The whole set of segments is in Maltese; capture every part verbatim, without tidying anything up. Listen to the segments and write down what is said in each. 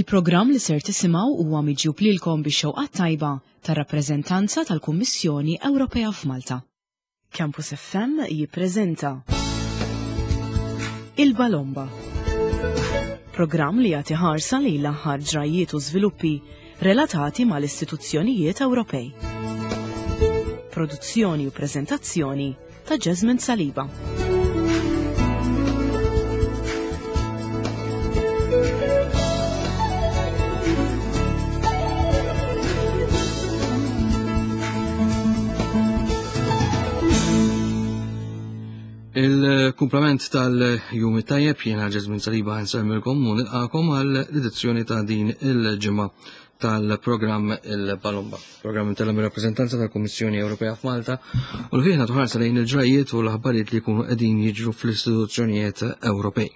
Il-programm li ser tisimgħu huwa miġjub lilkom bix-xewqa tajba tar-rappreżentanza tal-Kummissjoni Ewropea f'Malta. Campus F M jippreżenta Il-Balomba. Programm li jagħti ħarsa lejn l-aħħar ġrajiet u żviluppi relatati mal-istituzzjonijiet Ewropej. Produzzjoni u preżentazzjoni ta' Jasmine Saliba. Il-kumplament tal-jum tajjeb, jiena Ġesmin Saliba nsemmilkom u nilqakom għall-edizzjoni ta' din il-ġimgħa tal-programm Il-Balomba. Programm tal rappreżentanza tal-Kummissjoni Ewropea f'Malta u li fih tħarsa lejn il-ġrajiet u l-aħbarijiet li jkunu qegħdin jiġru fl-istituzzjonijiet Ewropej.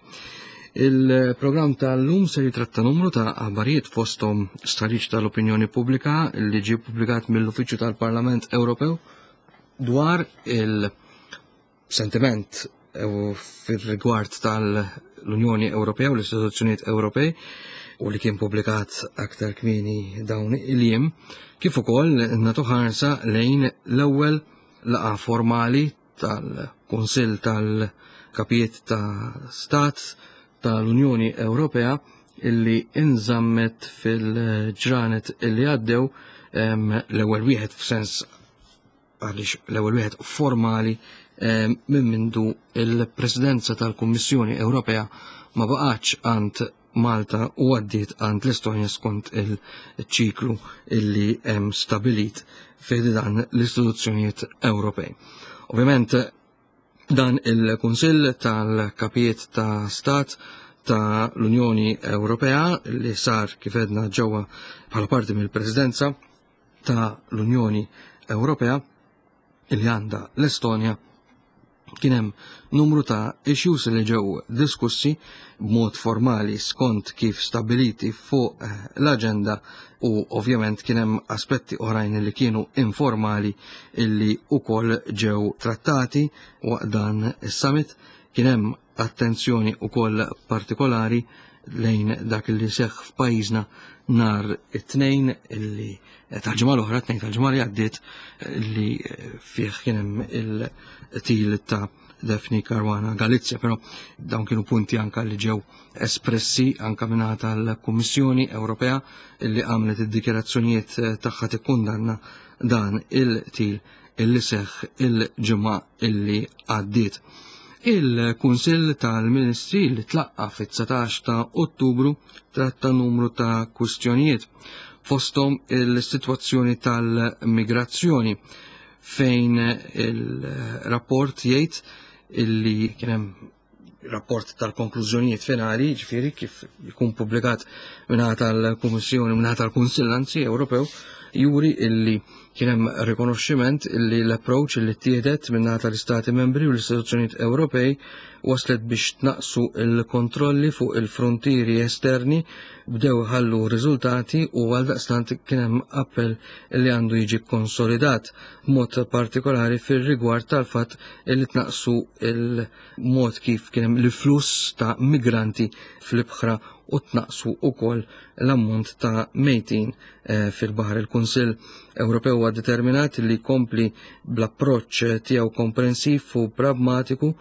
Il-programm tal-lum se jitratta numru ta' aħbarijiet, fosthom stħarriġ tal-opinjoni pubblika li ġie pubblikat mill-Uffiċċju tal-Parlament Ewropew dwar il- sentiment fil-rigward tal-Unjoni Ewropea u l-istituzzjonijiet Ewropej u li kien publikat aktar kmieni dawn il-jiem, kif ukoll nagħtu ħarsa lejn l-ewwel laqgħa formali tal-Kunsill tal-Kapijiet ta' Stat tal-Unjoni Ewropea illi inżammet fil-ġranet illi għaddew, l-ewwel wieħed f'sens għaliex l-ewwel wieħed formali minn mindu il-Presidenza tal-Kummissjoni Ewropea ma baqgħetx għand Malta u għaddiet għand l-Estonja skont il-ċiklu illi hemm stabilit fejn dan l-istituzzjonijiet Ewropej. Ovvjament, dan il-Kunsill tal-Kapijiet ta' Stat ta' l-Unjoni Ewropea li sar, kif għedna, ġewwa bħala parti mill-Presidenza ta' l-Unjoni Ewropea li għandha l-Estonja, kien hemm numru ta' issues li ġew diskussi b'mod formali skont kif stabiliti fuq eh, l-agenda u ovvjament kien hemm aspetti oħrajn li kienu informali illi ukoll ġew trattati waqt dan is-summit. Kien hemm attenzjoni ukoll partikolari lejn dak li seħħ f'pajjiżna nhar it-Tnejn illi tal-ġimgħa l-oħra, Tnejn tal-ġimgħa li għaddiet, li fih kien hemm il-qtil ta' Daphne Caruana Galizia, però dawn kienu punti anka li ġew espressi anka minn tal-Kummissjoni Ewropea illi għamlet id-dikjarazzjonijiet tagħha tikkundanna dan il-qtil illi seħħ il-ġimgħa illi għaddiet. Il-Kunsill tal-Ministri li tlaqqa fit-dsatax ta' Ottubru tratta numru ta' kwistjonijiet, fosthom il-sitwazzjoni tal-migrazzjoni, fejn il-rapport jgħid illi kien hemm rapport tal-konklużjonijiet finali, ġifieri kif jkun publikat minn tal-Kummissjoni, minn tal-Kunsill anzi Ewropew, juri illi kien hemm rikonoxximent illi l-approach illi ttieħdet minn tal-Istati Membri u l-istituzzjonijiet Ewropej waslet biex tnaqsu il-kontrolli fuq il-frontieri esterni, bdew ħallu riżultati u għaldaqstant kien hemm appell li għandu jiġi konsolidat, b'mod partikolari fir-rigward tal-fatt illi tnaqsu il-mod kif kien hemm l-fluss ta' migranti fl-ibħra u tnaqsu ukoll l-ammont ta' mejtin eh, fil-baħar. Il-Kunsill Ewropew huwa determinat li jkompli bl-approċċ tiegħu komprensiv u pragmatiku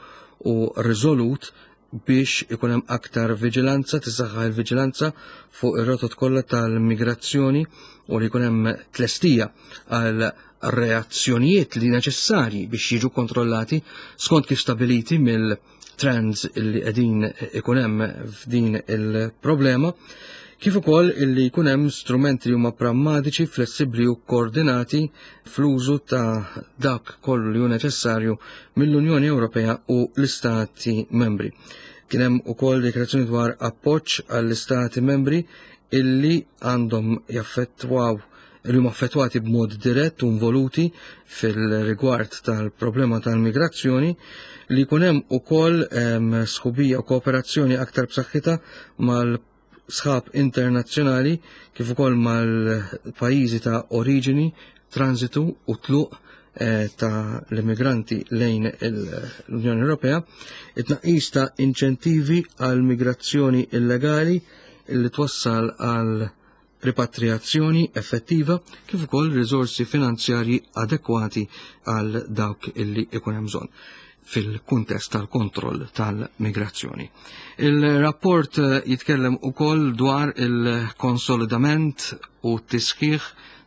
u riżolut biex ikun hemm aktar viġilanza, tisaħħaħ il-viġilanza fuq ir-rotot kollha tal-migrazzjoni u li jkun hemm tlestija għal reazzjonijiet li neċessarji biex jiġu kontrollati skont kif stabiliti mill-trends li qegħdin ikun hemm f'din il-problema, kif ukoll illi jkun hemm strumenti li huma prammatiċi, flessibbli u koordinati fl-użu ta' dak kollu li hu neċessarju mill-Unjoni Ewropea u l-Istati Membri. Kien hemm ukoll dikjarazzjoni dwar appoġġ għall-Istati Membri illi għandhom jaffettwaw li huma affettwati b'mod dirett u involuti fil-rigward tal-problema tal-migrazzjoni, li jkun hemm ukoll sħubija u kooperazzjoni aktar b'saħħitha mal sħab internazzjonali kif ukoll mal-pajjiżi ta' oriġini, transitu u tluq eh, ta' l-immigranti lejn l-Unjoni Ewropea, it-tnaqqis ta' inċentivi għal migrazzjoni illegali. li twassal għal ripatriazzjoni effettiva kif ukoll riżorsi finanzjarji adekwati għal dawk illi ikun hemm bżonn fil-kuntest tal-kontroll tal-migrazzjoni. Il-rapport jitkellem ukoll dwar il-konsolidament u t-tisħiħ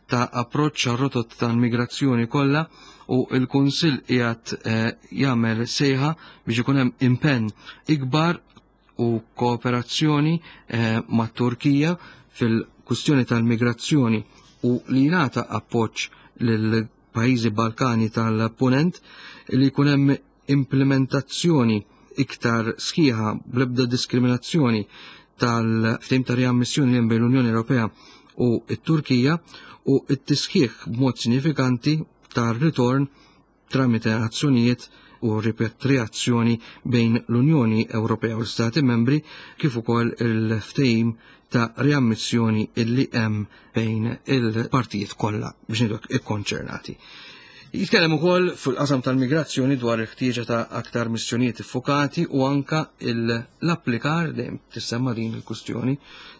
ta' approċċ għar-rotot tal-migrazzjoni kollha u il-Kunsill qiegħed jagħmel sejħa biex ikun hemm impenn ikbar u kooperazzjoni mat-Turkija fil-kwistjoni tal-migrazzjoni u li jingħata appoġġ lil pajjiżi Balkani tal-Punent, li jkun hemm implementazzjoni iktar sħiħa bl-ebda diskriminazzjoni tal-ftehim ta' riammissjoni li hemm bejn l-Unjoni Ewropea u t-Turkija u t-tisħiħ b'mod sinifikanti tar-ritorn tramite azzjonijiet u ripatriazzjoni bejn l-Unjoni Ewropea u l-Stati Membri kif ukoll il-ftehim ta' riammissjoni illi hemm bejn il-partijiet kollha biex ngħidu ikkonċernati. Jitkellem ukoll fil-qasam tal-migrazzjoni dwar il-ħtieġa ta' aktar missjonijiet iffokati u anka l-applikar, dejjem tissemma din il-kwistjoni,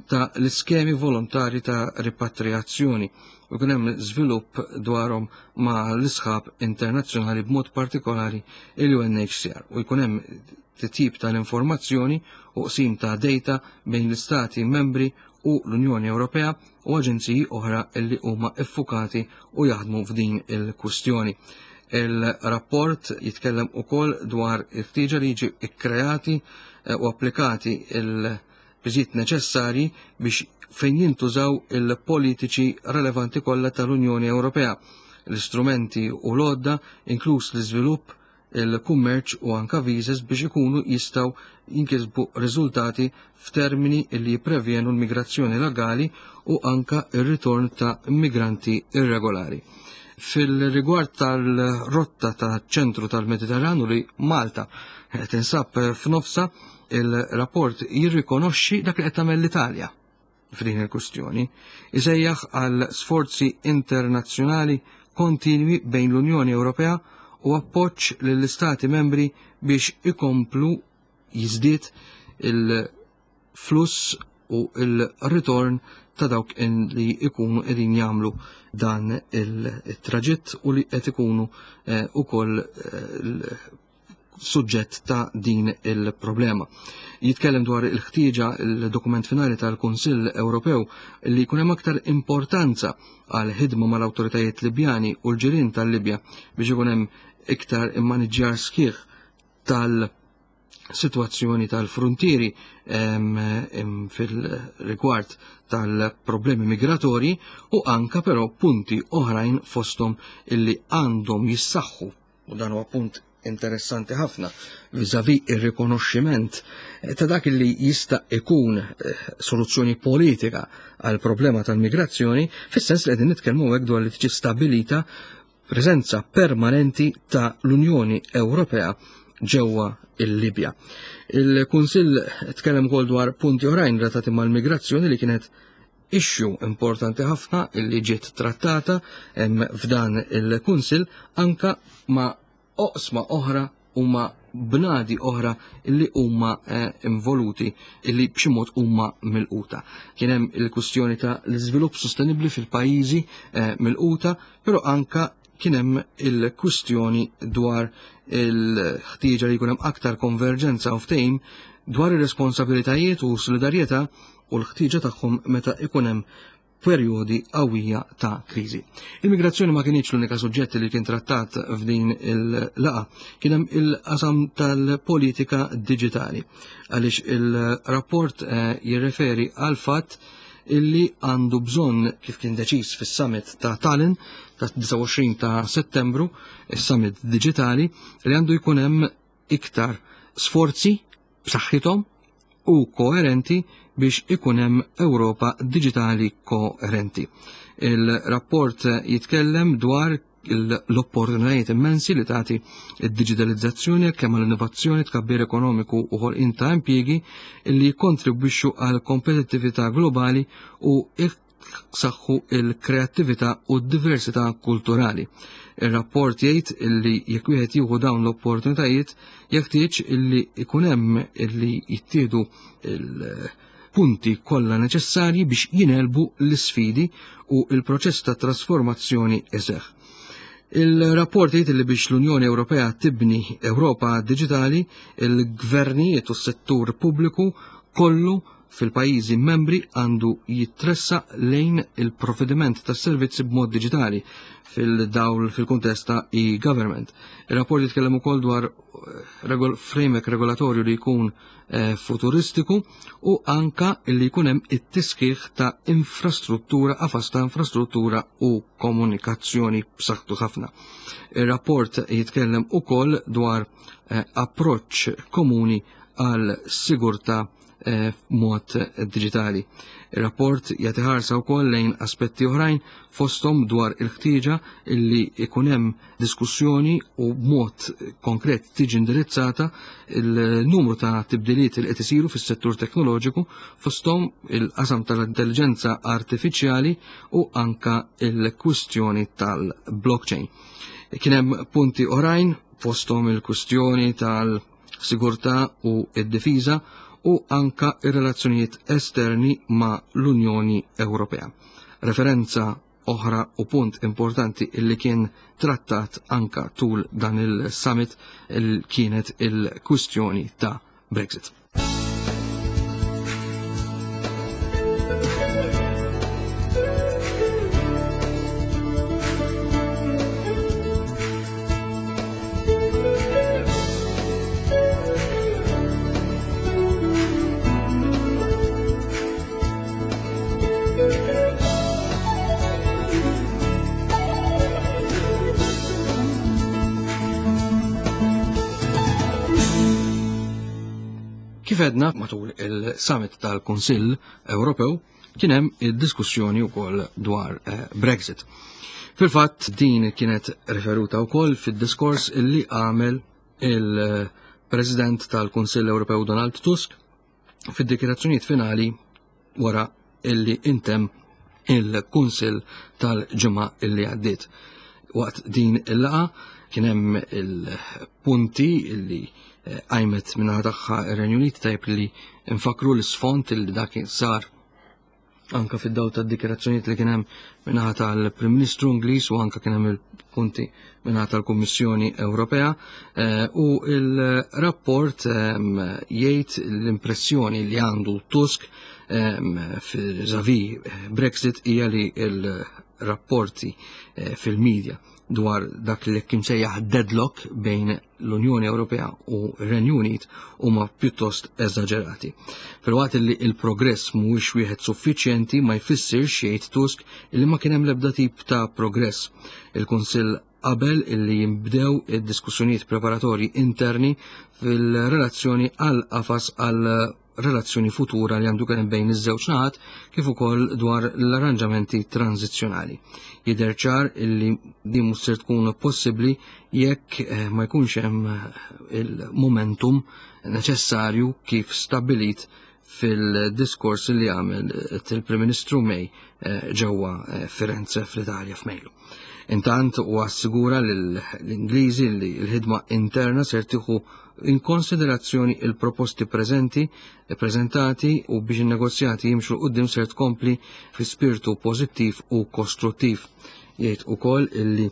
ta' l-iskemi volontari ta' ripatriazzjoni u kien hemm żvilupp dwarhom ma' l-isħab internazzjonali b'mod partikolari il-U N H C R u jkun hemm titjib tal-informazzjoni u qsim ta' data bejn l-istati membri u l-Unjoni Ewropea u aġenziji oħra illi huma iffukati u jaħdmu f'din il-kwistjoni. Il-rapport jitkellem ukoll dwar il-ħtieġa li jiġi ikkreati u applikati il-biżiet neċessarji biex fejn jintużaw il-politiċi relevanti kollha tal-Unjoni Ewropea, l-istrumenti u l-għodda, inkluż l-iżvilupp, il-kummerċ u anka visas biex ikunu jistgħu jinkisbu riżultati f'termini li jipprevjenu l-migrazzjoni legali u anka ir-ritorn ta' immigranti irregolari. Fil-rigward tal-rotta ta' ċentru tal-Mediterranu li Malta tinsab f'nofsa, il-rapport jirrikonoxxi dak li qed tagħmel l-Italja f'din il-kwistjoni, isejjaħ għal sforzi internazzjonali kontinwi bejn l-Unjoni Ewropea u appoġġ lill-Istati membri biex ikomplu jiżdied il-fluss u il-ritorn ta' dawk li ikunu qegħdin jagħmlu dan il-traġitt u li qed ikunu, eh, ukoll, eh, suġġett ta' din il-problema. Jitkellem dwar il-ħtieġa il-dokument finali tal-Kunsill Ewropew li jkun hemm aktar importanza għal ħidma mal-awtoritajiet Libjani u l-ġirien tal-Libja biex ikun hemm iktar immaniġġjar sħiħ tal-sitwazzjoni tal-frontieri, em, em, fil-rigward tal-problemi migratorji u anka però punti oħrajn fosthom illi għandhom jissaħħu, u dan huwa punt interessanti ħafna vis-à-vis ir-rikonoxximent ta' dak li jista' ikun, eh, soluzzjoni politika għal problema tal-migrazzjoni, fis-sens li qegħdin nitkellmu hekk dwar li tiġi stabilita preżenza permanenti ta' l-Unjoni Ewropea ġewwa il-Libja. Il-Kunsill tkellem ukoll dwar punti oħrajn relatati mal-migrazzjoni li kienet issue importanti ħafna illi ġiet trattata, em, f'dan il-Kunsill anka ma' oqsma oħra u ma' bnadi oħra illi huma, eh, involuti, illi b'xi mod huma milquta. Kien hemm il-kwistjoni ta' l-iżvilupp sostenibbli fil-pajjiżi, eh, milquta, però anka kien hemm il-kwistjoni dwar il-ħtieġa li jkun hemm aktar konverġenza u ftehim dwar ir-responsabilitajiet u solidarjetà u l-ħtieġa tagħhom meta ikun hemm perjodi qawwija ta' kriżi. Il-migrazzjoni ma kienx l-unika suġġett li kien trattat f'din il-laqa, kien hemm il-qasam tal-politika diġitali, għaliex il-rapport, eh, jirreferi għal fatt illi għandu bżonn, kif kien deċiż fis-summit ta' Tallinn ta' disgħa u għoxrin ta' Settembru, is-summit diġitali, li għandu jkun hemm iktar sforzi b'saħħithom u koerenti biex ikun hemm Ewropa diġitali koerenti. Il-rapport jitkellem dwar il-, l-opportunitajiet immensi li tagħti id-diġitalizzazzjoni kemm għall-innovazzjoni, tkabbir ekonomiku u ħolqien ta' impjiegi li jikkontribwixxu għal kompetittività globali u jsaħħu il-kreattività u d-diversità kulturali. Ir-rapport jgħid illi jekk wieħed jieħu dawn l-opportunitajiet jeħtieġ illi ikun hemm illi jittieħdu il-passi il-punti kollha neċessarji biex jingħelbu l-isfidi u il-proċess ta' trasformazzjoni iseħħ. Il-rapport jgħid li biex l-Unjoni Ewropea tibni Ewropa Digitali, il-gvernijiet u s-settur pubbliku kollu fil-pajjiżi membri għandu jitressaq lejn il-provvediment tas servizzi b'mod digitali fil-dawl fil-kuntest ta' e-government. Il-rapport jitkellem ukoll dwar regol framework regolatorju li jkun eh, futuristiku u anka li jkun hemm it-tisħiħ ta' infrastruttura, qafas ta' infrastruttura u komunikazzjoni b'saħħtu ħafna. Il-rapport jitkellem ukoll dwar eh, approċċ komuni għal sigurtà eh, mod digitali. Il-rapport jagħti ħarsa wkoll lejn aspetti oħrajn, fosthom dwar il-ħtieġa illi ikun hemm diskussjoni u b'mod konkret tiġi indirizzata il-numru ta' tibdiliet li qed isiru fis-settur teknoloġiku, fosthom il-qasam tal-intelligenza artifiċjali u anka il-kwistjoni tal-blockchain. Kien hemm punti oħrajn, fosthom il-kwistjoni tal-sigurtà u d-difiża u anka ir-relazzjonijiet esterni ma' l-Unjoni Ewropea. Referenza oħra u punt importanti illi kien trattat anka tul dan il-summit il kienet il-kwistjoni ta' Brexit. Kif għedna matul il-summit tal-Kunsill Ewropew kien hemm id-diskussjoni wkoll dwar eh, Brexit. Fil-fatt din kienet referuta wkoll fid-diskors illi għamel il-President tal-Kunsill Ewropew Donald Tusk fid-dikjarazzjonijiet finali wara illi intemm il-Kunsill tal-ġimgħa illi għaddiet. Waqt din il-laqgħa kien hemm il-punti illi qajmet minnaħa tagħha ir-Renju Unit. Tajb li nfakru l-isfond illi dak sar anka fid-dawl tad-dikjarazzjonijiet li kien hemm minnaħa tal-Prim Ministru Ingliż u anka kien hemm il-punti minnaħa tal-Kummissjoni Ewropea, u il-rapport jgħid l-impressjoni li għandu Tusk vis-à-vis Brexit hija li il-rapporti fil-medja dwar dak li kien sejjaħ deadlock bejn l-Unjoni Ewropea u r-Renju Unit huma pjuttost eżaġerati. Filwaqt li il-progress mhuwiex wieħed suffiċjenti, ma jfissirx, jgħid Tusk, li ma kien hemm l-ebda tip ta' progress. Il-Kunsill qabel illi jinbdew id-diskussjonijiet preparatorji interni fil-relazzjoni għal qafas għal relazzjoni futura li għandu kien bejn iż-żewġ naħat, kif ukoll dwar l-arranġamenti tranzizzjonali. Jidher ċar illi din mhux ser tkun possibbli jekk eh, ma jkunx hemm il-momentum neċessarju kif stabbilit fil-diskors li għamel il-Prim Ministru May eh, ġewwa eh, Firenze fl-Italja f'Mejju. Intant u assigura l-Ingliżi li l-ħidma interna ser tieħu in konsiderazzjoni il-proposti preżenti, prezentati u biex in-negozjati jimxu 'l quddiem ser tkompli fi spiritu pożittiv u kostruttiv. Jgħid ukoll illi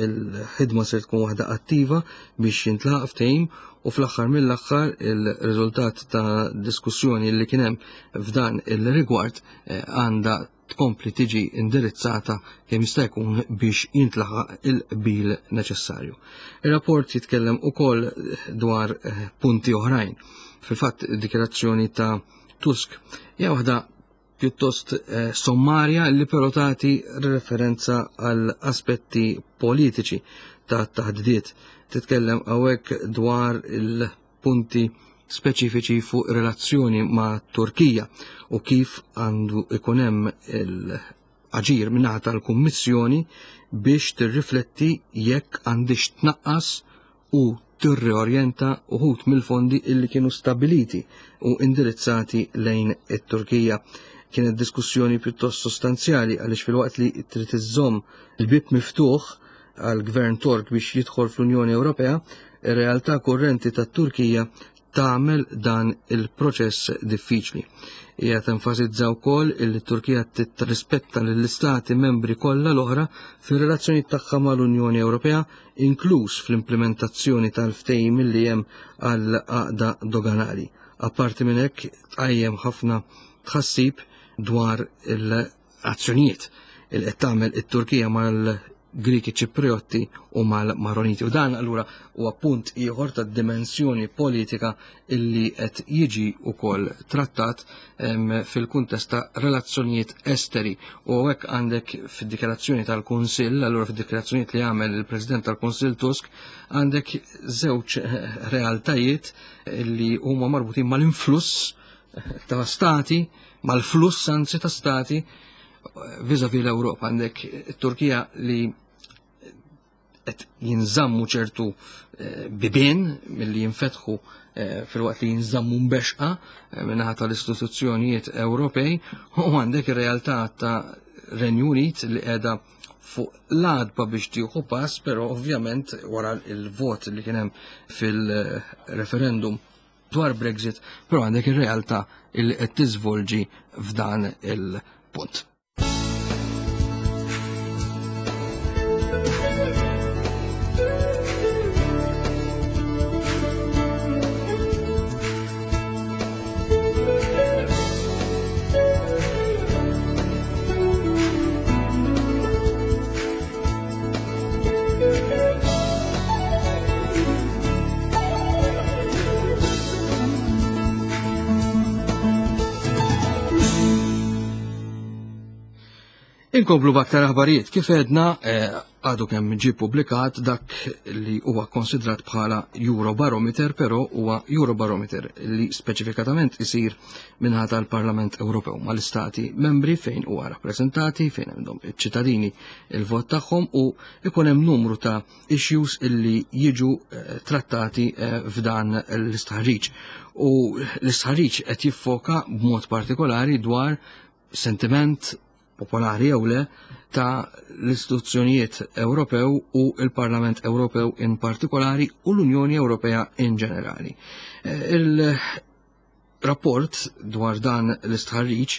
il-ħidma ser tkun waħda attiva biex jintlaħaq ftehim u fl-aħħar mill-aħħar il-riżultat ta' diskussjoni li kien hemm f'dan il-rigward eh, għandha tkompli tiġi indirizzata kemm jista' jkun biex jintlaħaq il-qbil neċessarju. Ir-rapport jitkellem ukoll dwar eh, punti oħrajn. Fil-fatt, dikjarazzjoni ta' Tusk hija waħda pjuttost eh, sommarja li però tagħti referenza għal aspetti politiċi ta' taħdidiet. Titkellem hawnhekk dwar il-punti speċifiċi fuq relazzjoni ma' Turkija u kif għandu ikun hemm il-aġir minnaħa tal-Kummissjoni biex tirrifletti jekk għandix tnaqqas u tirriorjenta uħud mill-fondi illi kienu stabiliti u indirizzati lejn it-Turkija. Kienet diskussjoni pjuttost sostanzjali għaliex filwaqt li trid iżżomm il-bib miftuħ għal gvern Tork biex jidħol fl-Unjoni Ewropea, ir-realtà kurrenti tat-Turkija tagħmel dan il-proċess diffiċli. Hija tenfasizza wkoll illi Turkija tirrispetta lill-istati membri kollha l-oħra fir-relazzjonijiet tagħha mal-Unjoni Ewropea, inkluż fl-implementazzjoni tal-ftehim li hemm għal għaqda doganali. Apparti minn hekk tqajjem ħafna tħassib dwar l-azzjonijiet il qed tagħmel it-Turkija mal-Griki Ċipriotti u mal-Maroniti. U dan allura huwa punt ieħor ta' dimensjoni politika illi qed jiġi wkoll trattat fil-kuntest ta' relazzjonijiet esteri. U hekk għandek fid-dikjarazzjoni tal-Kunsill, allura fid-dikjarazzjonijiet li għamel il-President tal-Kunsill Tusk, għandek żewġ realtajiet illi huma marbutin mal-influss ta' stati, mal-fluss anzi ta' stati vis-a-vis l-Ewropa. Għandek it-Turkija li qed jinżammu ċertu bibien milli jinfetħu filwaqt li jinżammu mbexqa minnaħa tal-istituzzjonijiet Ewropej, u għandek ir-realtà ta' Renju Unit li qiegħda fuq l-għadba biex tieħu pass, però ovvjament wara il-vot li kien hemm fil-referendum dwar Brexit, però għandek ir-realtà li qed tiżvolġi f'dan il-punt. Inkomplu b'aktar aħbarijiet. Kif għedna, għadu kemm ġie publikat dak li huwa konsidrat bħala Eurobarometer, però huwa Eurobarometer li speċifikatament isir minħa tal-Parlament Ewropew mal-istati membri fejn huwa rappreżentati, fejn għandhom iċ-ċittadini il-vot tagħhom, u ikun hemm numru ta' issues illi jiġu trattati f'dan l-istħarriġ. U l-istħarriġ qed jiffoka b'mod partikolari dwar sentiment popolari jew le ta' l-istituzzjonijiet Ewropew u il-Parlament Ewropew in partikolari u l-Unjoni Ewropea in ġenerali. Il-rapport dwar dan l-istħarriġ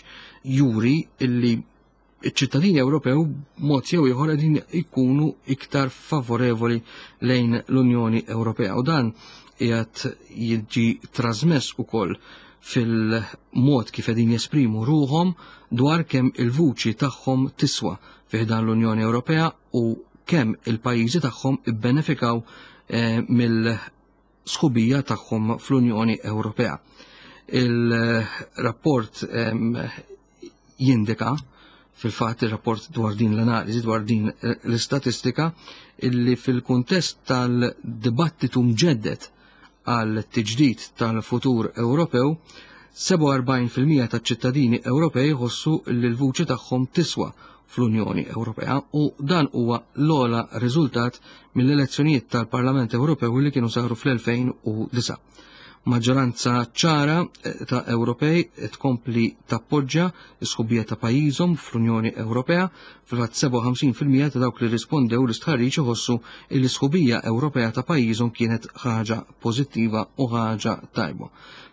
juri illi iċ-ċittadini Ewropew mod jew ieħor qegħdin ikunu iktar favorevoli lejn l-Unjoni Ewropea, u dan qiegħed jiġi trasmess ukoll fil-mod kif qegħdin jesprimu ruhom dwar kemm il-vuċi tagħhom tiswa fi ħdan l-Unjoni Ewropea u kemm il-pajjiżi tagħhom ibbenefikaw eh, mill-sħubija tagħhom fl-Unjoni Ewropea. Il-rapport eh, jindika fil-fatt, il-rapport dwar din l-analiżi, dwar din l-istatistika, illi fil-kuntest tal-dibattitu mġeddet għal tiġdid tal-futur Ewropew, sebgħa u erbgħin fil-mija taċ-ċittadini Ewropej jħossu li l-vuċi tagħhom tiswa fl-Unjoni Ewropea, u dan huwa l-ogħla riżultat mill-elezzjonijiet tal-Parlament Ewropew li kienu saru fl-elfejn u disa'. Maġġoranza ċara ta' Ewropej tkompli tappoġġja s-sħubija ta' pajjiżhom fl-Unjoni Ewropea. Fil-fatt sebgħa u ħamsin fil-mija ta' dawk li rispondew l-istħarriġ iħossu li l-sħubija Ewropea ta' pajjiżhom kienet ħaġa pożittiva u ħaġa tajba.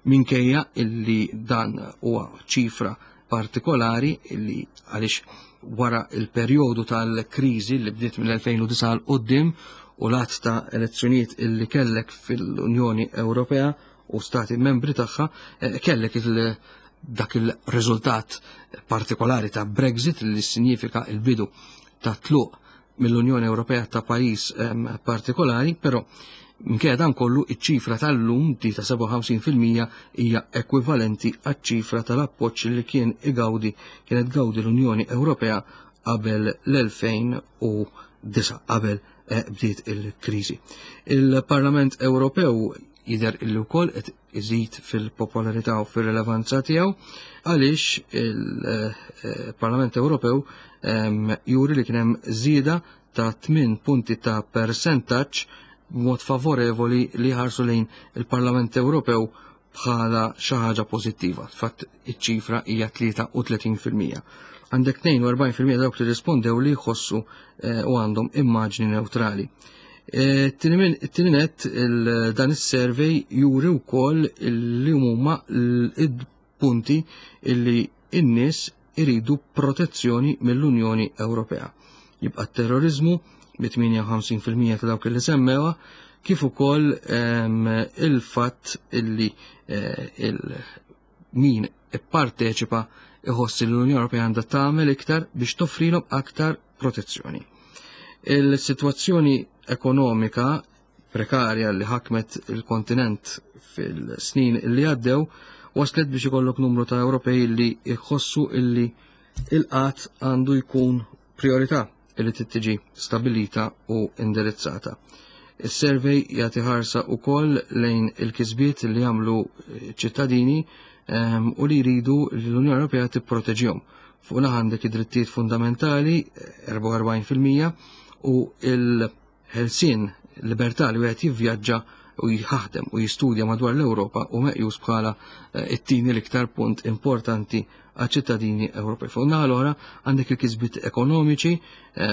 Minkejja illi dan huwa ċifra partikolari illi għaliex wara il-perjodu tal-kriżi li bdiet mill-elfejn u disa' 'l quddiem u l-għadd ta' elezzjonijiet illi kellek fil-Unjoni Ewropea u stati membri tagħha, kellek il-, dak il-riżultat partikolari ta' Brexit li signifika il-bidu ta' tluq mill-Unjoni Ewropea ta' pajjiż, ehm, partikolari, però minkejja dan kollu iċ-ċifra tal-lum di ta' sebgħa u ħamsin fil-mija hija ekwivalenti għaċ-ċifra tal-appoġġ li kien igawdi, kienet gawdi l-Unjoni Ewropea qabel l-elfejn u disa', qabel, eh, bdiet il-kriżi. Il-Parlament Ewropew jidher illi wkoll qed iżid fil-popolarità u fir-rilevanza tiegħu għaliex il-Parlament Ewropew, ehm, juri li kien hemm żieda ta' tmien punti ta' persentaġġ b'mod favorevoli li ħarsu lejn il-Parlament Ewropew bħala xi ħaġa pożittiva. Fatt iċ-ċifra hija tlieta u tletin fil-mija. Għandek tnejn u erbgħin fil-mija dawk li rispondew li jħossu, eh, u għandhom immaġni neutrali. Eh, it-tieni nett, il-, dan is-survey juri wkoll li huma punti illi n-nies iridu protezzjoni mill-Unjoni Ewropea. Jibqa' terrorizmu bi tmienja u ħamsin fil-mija ta' dawk li semmewha, kif ukoll il-fatt illi il min ipparteċipa iħoss li l-Unjoni Ewropea għandha tagħmel iktar biex toffrilhom aktar protezzjoni. Il-sitwazzjoni ekonomika prekarja li ħakmet il-kontinent fil-snin li għaddew waslet biex ikollok numru ta' Ewropej li jħossu illi il-qatt għandu jkun priorità illi tittiġi stabilita u indirizzata. Is-survey jagħti ħarsa wkoll lejn il-kisbiet li jagħmlu ċittadini u li jridu li l-Unjoni Ewropea tipproteġihom. Fuq naħa għandek id-drittijiet fundamentali erbgħa u erbgħin fil-mija u il-ħelsien libertà li wieħed jivvjaġġa u jħaħdem u jistudja madwar l-Ewropa u meqjus bħala it-tieni l-iktar punt importanti għaċ-ċittadini Ewropej. Fuq naħa l-oħra għandek il-kisbiet ekonomiċi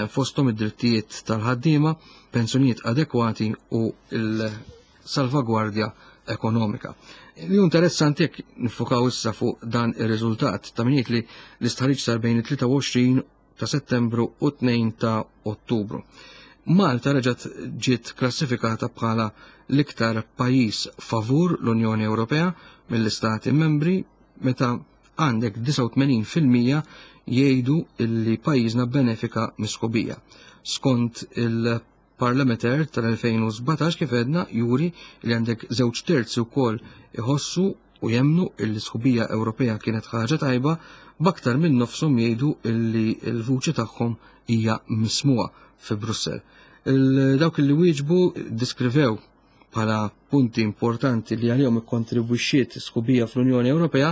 fosthom id-drittijiet tal-ħaddiema, pensjonijiet adekwati u l-salvagwardja ekonomika. Li interessanti jekk nifukaw issa fuq dan ir-riżultat ta' min jgħid li l-istħarriġ sar bejn it-tlieta u għoxrin ta' Settembru u tnejn ta' Ottubru. Malta reġgħet ġiet klassifikata bħala l-iktar pajjiż favur l-Unjoni Ewropea mill-Istati Membri meta għandek disgħa u tmenin fil-mija jgħidu illi pajjiżna benefika mis-sħubija. Skont il-Parlameter tal-elfejn u sbatax kif għedna juri li għandek żewġ terzi wkoll iħossu u jemnu illi sħubija Ewropea kienet ħaġa tajba, b'aktar minn nofshom jgħidu illi l-vuċi tagħhom hija mismuha fi Brussell. Dawk li wieġbu diskrivew bħala punti importanti li għalihom ikkontribwixxiet sħubija fl-Unjoni Ewropea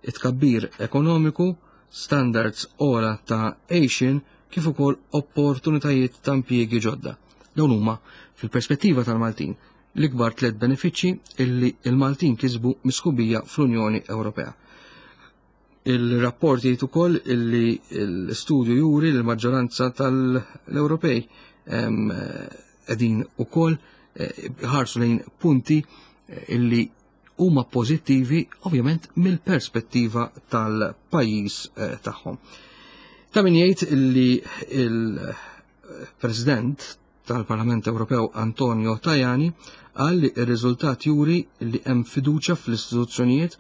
it-tkabbir ekonomiku, standards ogħla ta' għejxien kif ukoll opportunitajiet ta' impjiegi ġodda. Dawn huma, fil-perspettiva tal-Maltin, l-ikbar tliet benefiċċji illi il-Maltin kisbu mis-sħubija fl-Unjoni Ewropea. Il-rapport jgħid ukoll illi l-istudju juri li l-maġġoranza tal-Ewropej qegħdin ukoll ħarsu lejn punti illi huma pożittivi ovvjament mill-perspettiva tal-pajjiż tagħhom. Ta' min jgħid illi il-President tal-Parlament Ewropew Antonio Tajani qal li r-riżultat juri li hemm fiduċja fl-istituzzjonijiet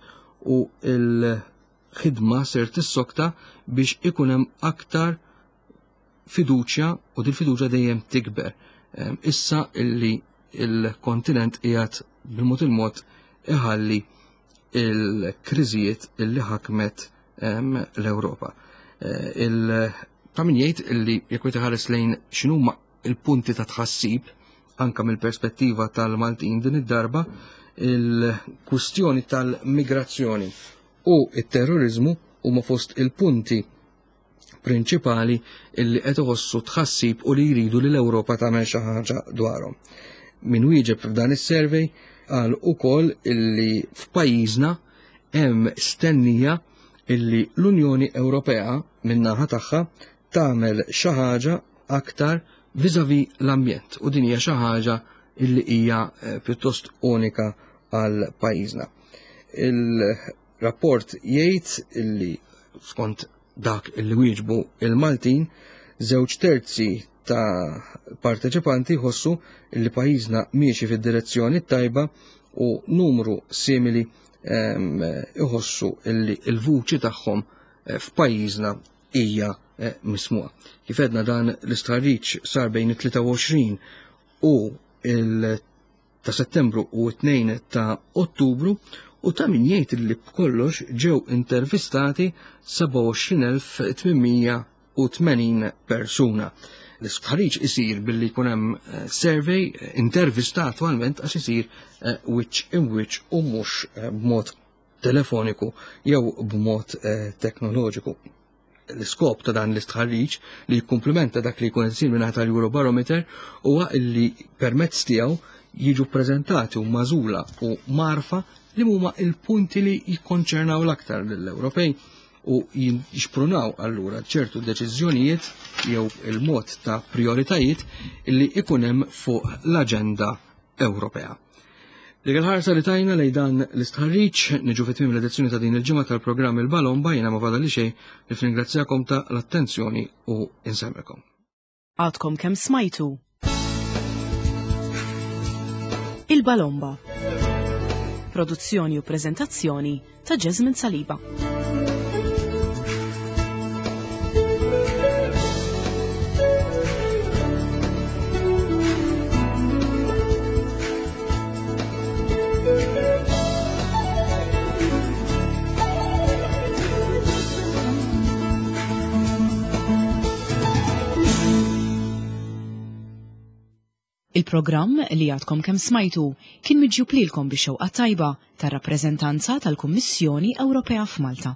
u l-ħidma ser tissokta biex ikun hemm aktar fiduċja u din fiduċja dejjem tikber. Issa illi il-kontinent qiegħed bil-mod il-mod iħalli il-kriżijiet illi ħakmet l-Ewropa. Ta' min jgħid illi jekk wieħed iħares lejn x'inhuma il-punti ta' tħassib anka mill-perspettiva tal-Maltin din id-darba, il-kwistjoni tal-migrazzjoni u it-terrorizmu huma fost il-punti prinċipali illi qed iħossu tħassib u li jridu li l-Ewropa tagħmel xi ħaġa dwarhom. Min wieġeb f'dan is-survey qal ukoll illi f'pajjiżna hemm stennija illi l-Unjoni Ewropea min-naħa tagħha tagħmel xi ħaġa aktar vis-à-vis l-ambjent, u din hija xi ħaġa illi hija pjuttost unika għal pajjiżna. Il-rapport jgħid illi skont dak illi wieġbu il-Maltin, żewġ terzi ta' parteċipanti jħossu illi pajjiżna miexi fid-direzzjoni tajba u numru simili, ehm, iħossu illi l-vuċi tagħhom, eh, f'pajjiżna hija, eh, mismuha. Kif għedna dan l-istħarriġ sar bejn it-tlieta u għoxrin u il ta' Settembru u t-tnejn ta' Ottubru, u ta' min jgħid li b'kollox ġew intervistati seba' u għoxrin elf tmien mija u tmenin persuna. L-istħarriġ isir billi jkun hemm, eh, survey, eh, intervista attwalment għax isir, eh, wiċċ in wiċċ u mhux, eh, b'mod telefoniku jew b'mod, eh, teknoloġiku. L-iskop ta' dan l-istħarriġ li jikkumplementa dak li jkun isir mingħata tal-Eurobarometer huwa li permezz tiegħu jiġu ppreżentati u magħżula u marfa li huma il-punti li jikkonċernaw l-aktar lill-Ewropej u jixprunaw allura ċertu deċiżjonijiet jew il-mod ta' prioritajiet li ikun hemm fuq l-aġenda Ewropea. Dik il-ħarsa li tajna lejn dan l-istħarriġ niġu fi tmiem l-edizzjoni ta' din il-ġimgħa tal-programm Il-Balomba. Jiena ma fadalli xejn li nirringrazzjakom ta' l-attenzjoni u insellmilkom. Għadkom kemm smajtu Il-Balomba. Produzzjoni u prezentazzjoni ta' Jasmine Saliba. Il-programm li għadkom kemm smajtu kien miġjub lilkom bix-xewqa tajba tar-rappreżentanza tal-Kummissjoni Ewropea f'Malta.